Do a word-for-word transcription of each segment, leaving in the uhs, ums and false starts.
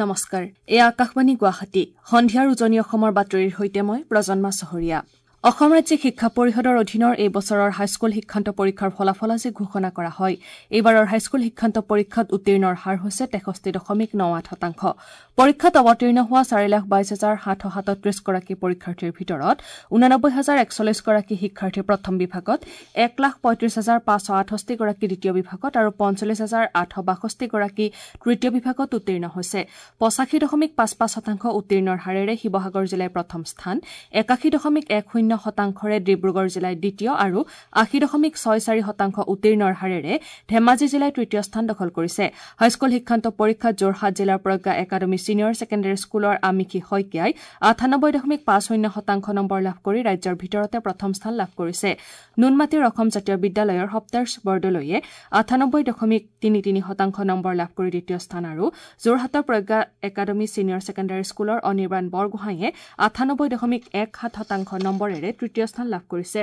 নমস্কাৰ, এয়া আকাশবাণী গুৱাহাটী। সন্ধিয়াৰ উজনি অসমৰ বাতৰিৰ সৈতে মই প্ৰজন্মা চহৰীয়া। অসম ৰাজ্যিক শিক্ষা পৰিষদৰ অধীনৰ এই বছৰৰ হাইস্কুল শিক্ষান্ত পৰীক্ষাৰ ফলাফল আজি ঘোষণা কৰা হয়। এইবাৰৰ হাইস্কুল শিক্ষান্ত পৰীক্ষাত উত্তীৰ্ণৰ হাৰ হৈছে তেষষ্ঠি দশমিক ন আঠ শতাংশ। পৰীক্ষাত অৱতীৰ্ণ হোৱা চাৰি লাখ বাইছ হাজাৰ সাতশ সাতত্ৰিছগৰাকী পৰীক্ষাৰ্থীৰ ভিতৰত ঊনানব্বৈ হাজাৰ একচল্লিছগৰাকী শিক্ষাৰ্থী প্ৰথম বিভাগত, এক লাখ পঁয়ত্ৰিছ হাজাৰ পাঁচশ আঠষষ্ঠিগৰাকী দ্বিতীয় বিভাগত আৰু পঞ্চল্লিছ হাজাৰ আঠশ বাষষ্ঠিগৰাকী তৃতীয় বিভাগত উত্তীৰ্ণ হৈছে। পঁচাশী দশমিক পাঁচ পাঁচ শতাংশ উত্তীৰ্ণৰ হাৰেৰে শিৱসাগৰ জিলাই প্ৰথম স্থান, একাশী দশমিক এক শূন্য শতাংশৰে ডিব্ৰুগড় জিলাই দ্বিতীয় আৰু আশী দশমিক ছয় চাৰি শতাংশ উত্তীৰ্ণৰ হাৰেৰে ধেমাজি জিলাই তৃতীয় স্থান দখল কৰিছে। হাইস্কুল শিক্ষান্ত পৰীক্ষাত যোৰহাট জিলাৰ প্ৰজ্ঞা একাডেমী ছিনিয়ৰ ছেকেণ্ডেৰী স্কুলৰ আমিষী শইকীয়াই আঠানব্বৈ দশমিক পাঁচ শূন্য শতাংশ নম্বৰ লাভ কৰি ৰাজ্যৰ ভিতৰতে প্ৰথম স্থান লাভ কৰিছে। নুনমাটিৰ অসম জাতীয় বিদ্যালয়ৰ সপ্তাৰ্শ বৰদলৈয়ে আঠানব্বৈ দশমিক তিনি তিনি শতাংশ নম্বৰ লাভ কৰি দ্বিতীয় স্থান আৰু যোৰহাটৰ প্ৰজ্ঞা একাডেমী ছিনিয়ৰ ছেকেণ্ডেৰী স্কুলৰ অনিৰ্বাণ বৰগোহাঁইয়ে আঠানব্বৈ দশমিক এক সাত শতাংশ নম্বৰেৰে তৃতীয় স্থান লাভ কৰিছে।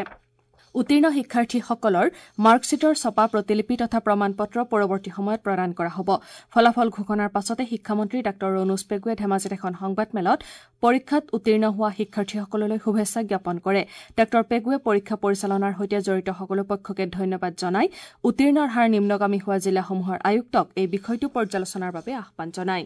উত্তীৰ্ণ শিক্ষাৰ্থীসকলৰ মাৰ্কশ্বিটৰ ছপা প্ৰতিলিপি তথা প্ৰমাণপত্ৰ পৰৱৰ্তী সময়ত প্ৰদান কৰা হ'ব। ফলাফল ঘোষণাৰ পাছতে শিক্ষামন্ত্ৰী ডাঃ ৰণোজ পেগুৱে ধেমাজিত এখন সংবাদমেলত পৰীক্ষাত উত্তীৰ্ণ হোৱা শিক্ষাৰ্থীসকললৈ শুভেচ্ছা জ্ঞাপন কৰে। ডাঃ পেগুৱে পৰীক্ষা পৰিচালনাৰ সৈতে জড়িত সকলো পক্ষকে ধন্যবাদ জনাই উত্তীৰ্ণৰ হাৰ নিম্নগামী হোৱা জিলাসমূহৰ আয়ুক্তক এই বিষয়টো পৰ্যালোচনাৰ বাবে আহ্বান জনায়।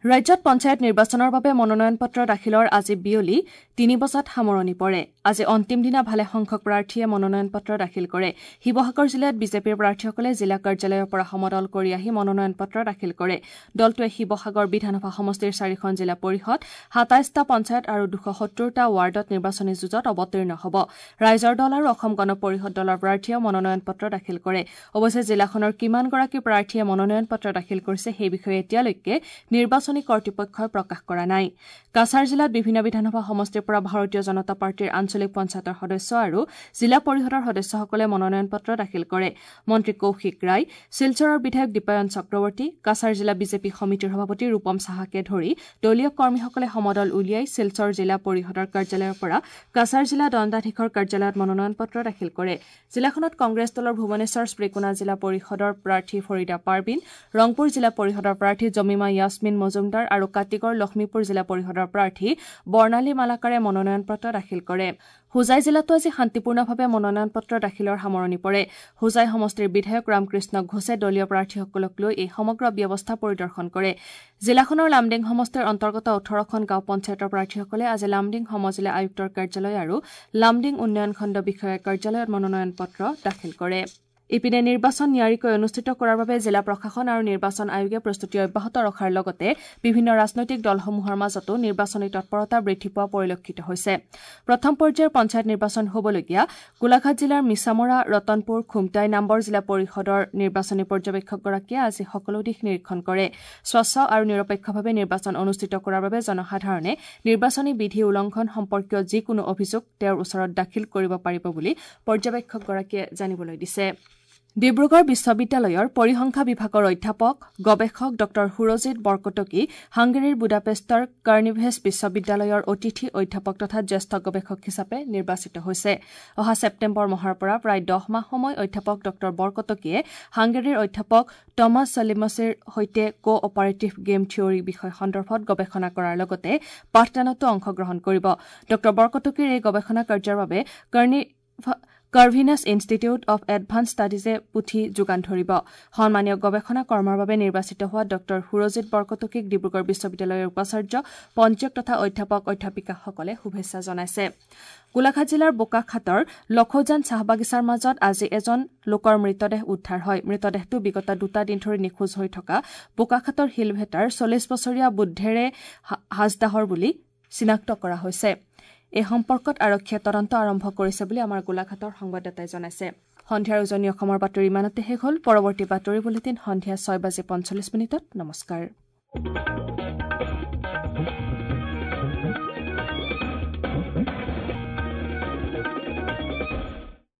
ৰাজ্যত পঞ্চায়ত নিৰ্বাচনৰ বাবে মনোনয়ন পত্ৰ দাখিলৰ আজি বিয়লি তিনি বজাত সামৰণি পৰে। আজি অন্তিম দিনা ভালেসংখ্যক প্ৰাৰ্থীয়ে মনোনয়ন পত্ৰ দাখিল কৰে। শিৱসাগৰ জিলাত বিজেপিৰ প্ৰাৰ্থীসকলে জিলা কাৰ্যালয়ৰ পৰা সমদল কৰি আহি মনোনয়ন পত্ৰ দাখিল কৰে। দলটোৱে শিৱসাগৰ বিধানসভা সমষ্টিৰ চাৰিখন জিলা পৰিষদ, সাতাইছটা পঞ্চায়ত আৰু দুশ সত্তৰটা ৱাৰ্ডত নিৰ্বাচনী যুঁজত অৱতীৰ্ণ হ'ব। ৰাইজৰ দল আৰু অসম গণ পৰিষদ দলৰ প্ৰাৰ্থীয়েও মনোনয়ন পত্ৰ দাখিল কৰে। অৱশ্যে জিলাখনৰ কিমানগৰাকী প্ৰাৰ্থীয়ে মনোনয়ন পত্ৰ দাখিল কৰিছে সেই বিষয়ে এতিয়ালৈকে নিৰ্বাচনী কৰ্তৃপক্ষই প্ৰকাশ কৰা নাই। কাছাৰ জিলাত বিভিন্ন বিধানসভা সমষ্টিৰ পৰা ভাৰতীয় জনতা পাৰ্টীৰ আঞ্চলিক পঞ্চায়তৰ সদস্য আৰু জিলা পৰিষদৰ সদস্যসকলে মনোনয়ন পত্ৰ দাখিল কৰে। মন্ত্ৰী কৌশিক ৰায়, শিলচৰৰ বিধায়ক দীপায়ন চক্ৰৱৰ্তী, কাছাৰ জিলা বিজেপি সমিতিৰ সভাপতি ৰূপম সাহাকে ধৰি দলীয় কৰ্মীসকলে সমদল উলিয়াই শিলচৰ জিলা পৰিষদৰ কাৰ্যালয়ৰ পৰা কাছাৰ জিলা দণ্ডাধীশৰ কাৰ্যালয়ত মনোনয়ন পত্ৰ দাখিল কৰে। জিলাখনত কংগ্ৰেছ দলৰ ভুৱনেশ্বৰ শ্ৰীকোনা জিলা পৰিষদৰ প্ৰাৰ্থী ফৰিদা পাৰবিন, ৰংপুৰ জিলা পৰিষদৰ প্ৰাৰ্থী জমিমা য়াছমিন মজুমদাৰ আৰু কাটিগড় লখিমপুৰ জিলা পৰিষদৰ প্ৰাৰ্থী বৰ্ণালী মালাকাৰে মনোনয়ন পত্ৰ দাখিল কৰে। হোজাই জিলাতো আজি শান্তিপূৰ্ণভাৱে মনোনয়ন পত্ৰ দাখিলৰ সামৰণি পৰে। হোজাই সমষ্টিৰ বিধায়ক ৰামকৃষ্ণ ঘোষে দলীয় প্ৰাৰ্থীসকলক লৈ এই সমগ্ৰ ব্যৱস্থা পৰিদৰ্শন কৰে। জিলাখনৰ লামডিং সমষ্টিৰ অন্তৰ্গত ওঠৰখন গাঁও পঞ্চায়তৰ প্ৰাৰ্থীসকলে আজি লামডিং সমজিলা আয়ুক্তৰ কাৰ্যালয় আৰু লামডিং উন্নয়ন খণ্ড বিষয়াৰ কাৰ্যালয়ত মনোনয়ন পত্ৰ দাখিল কৰে। ইপিনে নিৰ্বাচন নিয়াৰিকৈ অনুষ্ঠিত কৰাৰ বাবে জিলা প্ৰশাসন আৰু নিৰ্বাচন আয়োগে প্ৰস্তুতি অব্যাহত ৰখাৰ লগতে বিভিন্ন ৰাজনৈতিক দলসমূহৰ মাজতো নিৰ্বাচনী তৎপৰতা বৃদ্ধি পোৱা পৰিলক্ষিত হৈছে। প্ৰথম পৰ্যায়ৰ পঞ্চায়ত নিৰ্বাচন হ'বলগীয়া গোলাঘাট জিলাৰ মিছামৰা, ৰতনপুৰ, খুমটাই নাম্বৰ জিলা পৰিষদৰ নিৰ্বাচনী পৰ্যবেক্ষকগৰাকীয়ে আজি সকলো দিশ নিৰীক্ষণ কৰে। স্বচ্ছ আৰু নিৰপেক্ষভাৱে নিৰ্বাচন অনুষ্ঠিত কৰাৰ বাবে জনসাধাৰণে নিৰ্বাচনী বিধি উলংঘন সম্পৰ্কীয় যিকোনো অভিযোগ তেওঁৰ ওচৰত দাখিল কৰিব পাৰিব বুলি পৰ্যবেক্ষকগৰাকীয়ে জানিবলৈ দিছে। ডিব্ৰুগড় বিশ্ববিদ্যালয়ৰ পৰিসংখ্যা বিভাগৰ অধ্যাপক গৱেষক ডঃ সুৰজিৎ বৰকটকী হাংগেৰীৰ বুডাপেষ্টৰ কাৰ্নিভেছ বিশ্ববিদ্যালয়ৰ অতিথি অধ্যাপক তথা জ্যেষ্ঠ গৱেষক হিচাপে নিৰ্বাচিত হৈছে। অহা ছেপ্টেম্বৰ মাহৰ পৰা প্ৰায় দহ মাহ সময় অধ্যাপক ডঃ বৰকটকীয়ে হাংগেৰীৰ অধ্যাপক টমাছ চলিমছিৰ সৈতে কো অপাৰেটিভ গেম থিয়ৰী বিষয় সন্দৰ্ভত গৱেষণা কৰাৰ লগতে পাঠদানতো অংশগ্ৰহণ কৰিব। ডঃ বৰকটকীৰ এই গৱেষণা কাৰ্যৰ বাবে কাৰ্নি কাৰ্ভিনাছ ইনষ্টিটিউট অৱ এডভান্স ষ্টাডিজে পুথি যোগান ধৰিব। সন্মানীয় গৱেষণা কৰ্মৰ বাবে নিৰ্বাচিত হোৱা ডঃ সুৰজিৎ বৰকটকীক ডিব্ৰুগড় বিশ্ববিদ্যালয়ৰ উপাচাৰ্য, পঞ্জীয়ক তথা অধ্যাপক অধ্যাপিকাসকলে শুভেচ্ছা জনাইছে। গোলাঘাট জিলাৰ বোকাখাটৰ লখৌজান চাহ বাগিচাৰ মাজত আজি এজন লোকৰ মৃতদেহ উদ্ধাৰ হয়। মৃতদেহটো বিগত দুটা দিন ধৰি নিখোজ হৈ থকা বোকাখাটৰ শিলভেটাৰ চল্লিছ বছৰীয়া বুদ্ধেৰে হাজদাহৰ বুলি চিনাক্ত কৰা হৈছে। এই সম্পৰ্কত আৰক্ষীয়ে তদন্ত আৰম্ভ কৰিছে বুলি আমাৰ গোলাঘাটৰ সংবাদদাতাই জনাইছে। সন্ধিয়াৰ উজনি অসমৰ বাতৰি ইমানতে শেষ হ'ল। পৰৱৰ্তী বাতৰি বুলেটিন সন্ধিয়া ছয় বাজি পঞ্চল্লিছ মিনিটত। নমস্কাৰ।